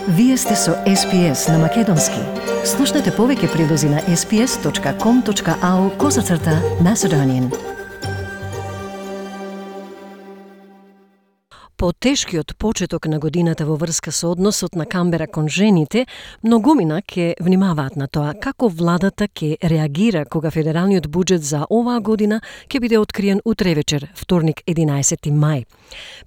Вие сте со SPS на Македонски. Слушнете повеќе прилози на sps.com.au/Macedonian. По тешкиот почеток на годината во врска со односот на Камбера кон жените, многумина ќе внимаваат на тоа како владата ќе реагира кога федералниот буџет за оваа година ќе биде откриен утре вечер, вторник 11 мај.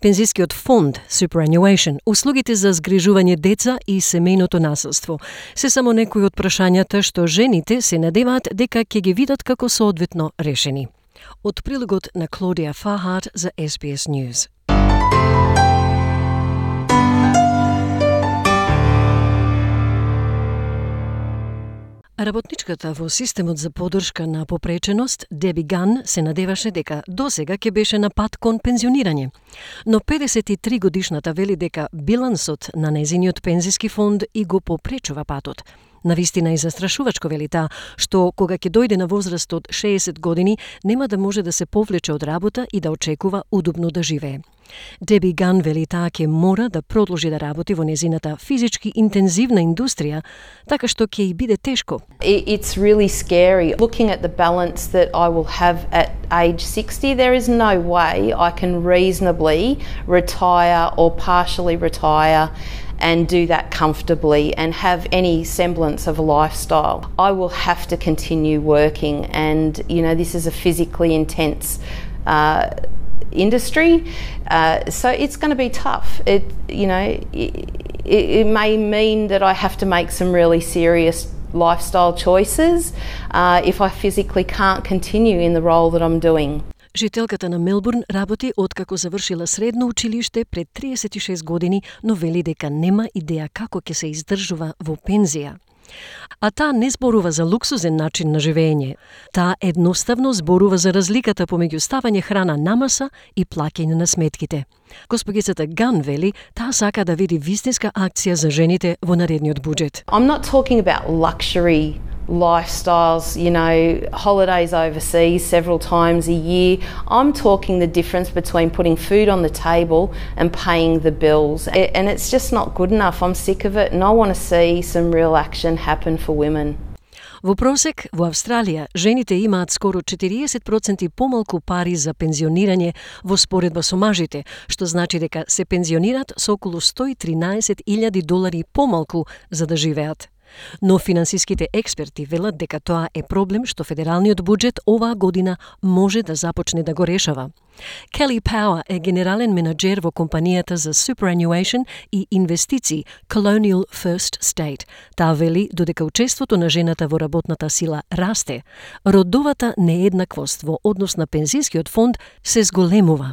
Пензискиот фонд Superannuation, услугите за згрижување деца и семејното насилство се само некои од прашањата што жените се надеваат дека ќе ги видат како соодветно решени. Од прилогот на Клодија Фахат за SBS News. Работничката во системот за поддршка на попреченост, Деби Ган, се надеваше дека досега ќе беше на пат кон пензионирање. Но 53 годишната вели дека билансот на нејзиниот пензиски фонд и го попречува патот. Навистина и застрашувачко вели таа, што кога ќе дојде на возраст од 60 години, нема да може да се повлече од работа и да очекува удобно да живее. Деби Ган вели таа ќе мора да продолжи да работи во незината физички интензивна индустрија, така што ќе и биде тешко. It's really scary. Looking at the balance that I will have at age 60, there is no way I can reasonably retire or partially retire and do that comfortably and have any semblance of a lifestyle. I will have to continue working, and this is a physically intense industry, so it's going to be tough. It may mean that I have to make some really serious lifestyle choices if I physically can't continue in the role that I'm doing. Жителката на Мелбурн работи откако завршила средно училиште пред 36 години, но вели дека нема идеја како ќе се издржува во пензија. А таа не зборува за луксузен начин на живење. Таа едноставно зборува за разликата помеѓу ставање храна на маса и плаќање на сметките. Госпогицата Ган вели таа сака да види вистинска акција за жените во наредниот буџет. I'm not talking about luxury lifestyles, holidays overseas several times a year. I'm talking the difference between putting food on the table and paying the bills. And it's just not good enough. I'm sick of it, and I want to see some real action happen for women. Во просек, во Австралија, жените имаат скоро 40% помалку пари за пензионирање во споредба со мажите, што значи дека се пензионират со околу $113,000 помалку за да живеат. Но финансиските експерти велат дека тоа е проблем што федералниот буџет оваа година може да започне да го решава. Келли Пауер е генерален менаџер во компанијата за Superannuation и инвестиции Colonial First State. Таа вели додека учеството на жената во работната сила расте, родовата нееднаквост во однос на пензискиот фонд се зголемува.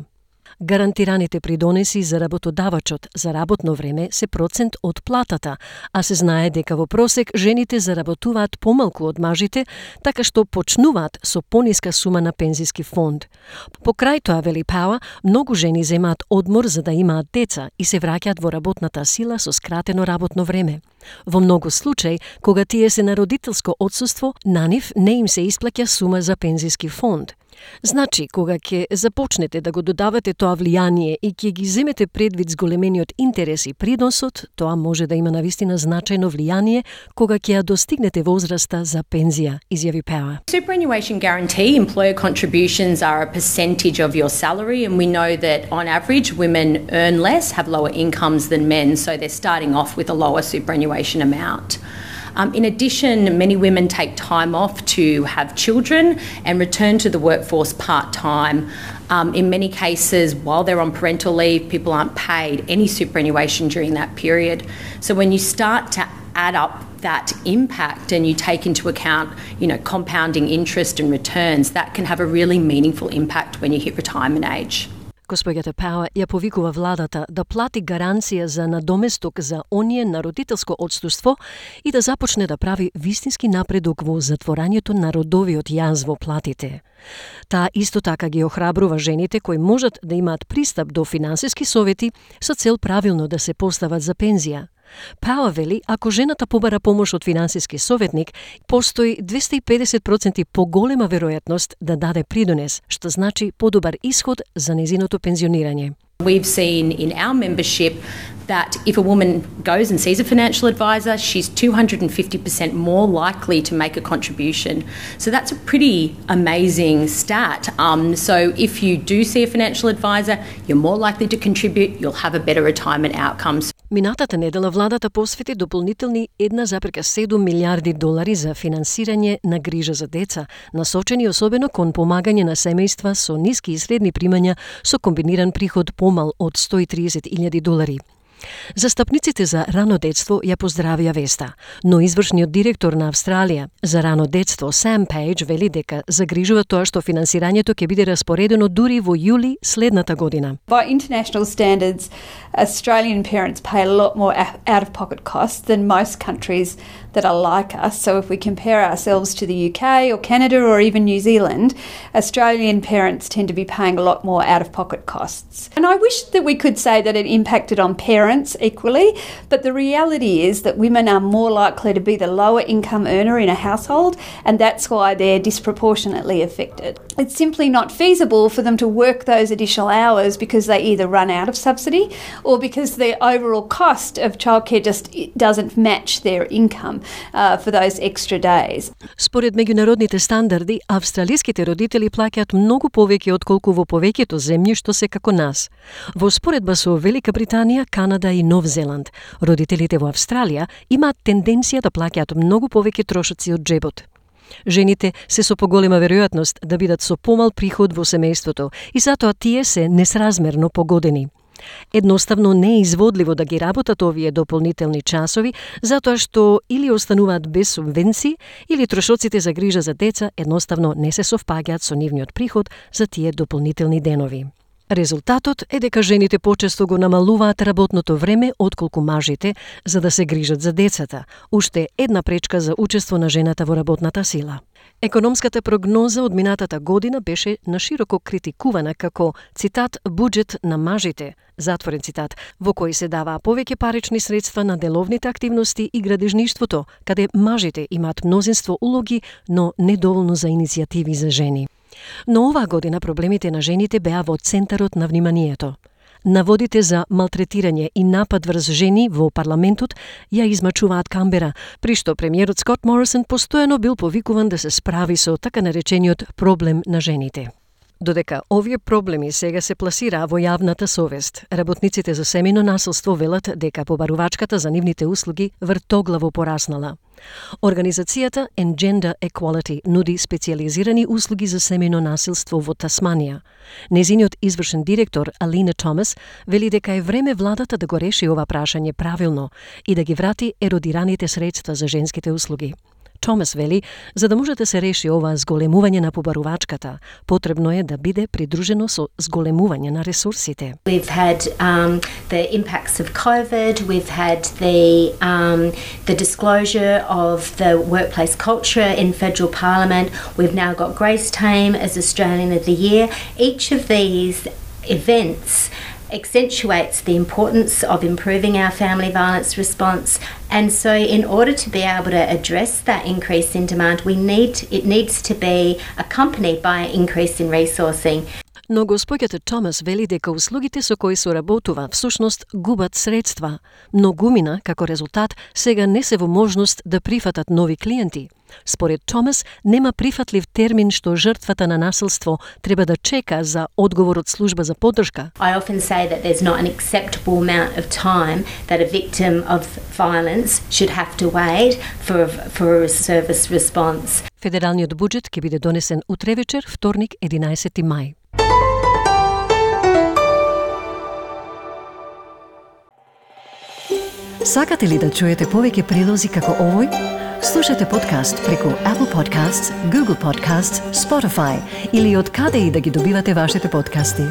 Гарантираните придонеси за работодавачот за работно време се процент од платата, а се знае дека во просек жените заработуваат помалку од мажите, така што почнуваат со пониска сума на пензиски фонд. Покрај тоа, вели Пауер, многу жени земаат одмор за да имаат деца и се враќаат во работната сила со скратено работно време. Во многу случаи, кога тие се на родителско отсуство, на нив не им се исплаќа сума за пензиски фонд. Значи, кога ќе започнете да го додавате тоа влијание и ќе ги земете предвид зголемениот интерес и придоносот, тоа може да има навистина значајно влијание кога ќе ја достигнете возраста за пензија, изјави Пауер. Superannuation guarantee employer contributions are a percentage of your salary, and we know that on average women earn less, have lower incomes than men, so they're starting off with a lower superannuation amount. In addition, many women take time off to have children and return to the workforce part-time. In many cases, while they're on parental leave, people aren't paid any superannuation during that period. So when you start to add up that impact and you take into account, compounding interest and returns, that can have a really meaningful impact when you hit retirement age. Госпоѓата Пауер ја повикува владата да плати гаранција за надоместок за оние на родителско отсуство и да започне да прави вистински напредок во затворањето на родовиот јаз во платите. Таа исто така ги охрабрува жените кои можат да имаат пристап до финансиски совети со цел правилно да се постават за пензија. Пауер вели, ако жената побара помош од финансиски советник, постои 250% поголема веројатност да даде придонес, што значи подобар исход за незиното пензионирање. We've seen in our membership that if a woman goes and sees a financial advisor, she's 250% more likely to make a contribution. So that's a pretty amazing stat. So if you do see a financial advisor, you're more likely to contribute, you'll have a better retirement outcomes. Минатата недела владата посвети дополнителни 1,7 милиарди долари за финансирање на грижа за деца, насочени особено кон помагање на семејства со ниски и средни примања со комбиниран приход помал од 130.000 долари. Застапниците за рано детство ја поздравија веста, но извршниот директор на Австралија за рано детство Sam Page вели дека загрижува тоа што финансирањето ќе биде распоредено дури во јули следната година. By international standards, Australian parents pay a lot more out-of-pocket costs than most countries that are like us. So if we compare ourselves to the UK or Canada or even New Zealand, Australian parents tend to be paying a lot more out-of-pocket costs. And I wish that we could say that it impacted on parents equally, but the reality is that women are more likely to be the lower income earner in a household, and that's why they're disproportionately affected. It's simply not feasible for them to work those additional hours because they either run out of subsidy or because the overall cost of childcare just doesn't match their income for those extra days. Според меѓународните стандарди, австралиските родители плаќаат многу повеќе отколку во повеќето земји што се како нас. Во споредба со Велика Британија, Канада и Нов Зеланд, родителите во Австралија имаат тенденција да плаќаат многу повеќе трошоци од джебот. Жените се со поголема веројатност да бидат со помал приход во семејството и затоа тие се несразмерно погодени. Едноставно не е изводливо да ги работат овие дополнителни часови, затоа што или остануваат без субвенции, или трошоците за грижа за деца едноставно не се совпаѓаат со нивниот приход за тие дополнителни денови. Резултатот е дека жените почесто го намалуваат работното време отколку мажите за да се грижат за децата, уште една пречка за учество на жената во работната сила. Економската прогноза од минатата година беше нашироко критикувана како, цитат, буџет на мажите, затворен цитат, во кој се даваа повеќе парични средства на деловните активности и градежништвото, каде мажите имаат мнозинство улоги, но недоволно за иницијативи за жени. Но оваа година проблемите на жените беа во центарот на вниманието. Наводите за малтретирање и напад врз жени во парламентот ја измачуваат Камбера, при што премиерот Скот Морисон постојано бил повикуван да се справи со така наречениот проблем на жените. Додека овие проблеми сега се пласираа во јавната совест, работниците за семејно насилство велат дека побарувачката за нивните услуги вртоглаво пораснала. Организацијата And Gender Equality нуди специјализирани услуги за семејно насилство во Тасманија. Незиниот извршен директор Алина Томас вели дека е време владата да го реши ова прашање правилно и да ги врати еродираните средства за женските услуги. Томас вели, за да може да се реши ова зголемување на побарувачката, потребно е да биде придружено со зголемување на ресурсите. We've had the impacts of COVID, we've had the disclosure of the workplace culture in federal parliament, we've now got Grace Tame as Australian of the Year. Each of these events accentuates the importance of improving our family violence response, and so in order to be able to address that increase in demand, it needs to be accompanied by an increase in resourcing. Но госпоѓата Томас вели дека услугите со кои соработува всушност губат средства. Многумина, како резултат, сега не се во можност да прифатат нови клиенти. Според Томас, нема прифатлив термин што жртвата на насилство треба да чека за одговор од служба за поддршка. I often say that there's not an acceptable amount of time that a victim of violence should have to wait for a service response. Федералниот буџет ќе биде донесен утре вечер, вторник, 11 мај. Сакате ли да чуете повеќе прилози како овој? Слушате подкаст преку Apple Podcasts, Google Podcasts, Spotify или од каде и да ги добивате вашите подкасти.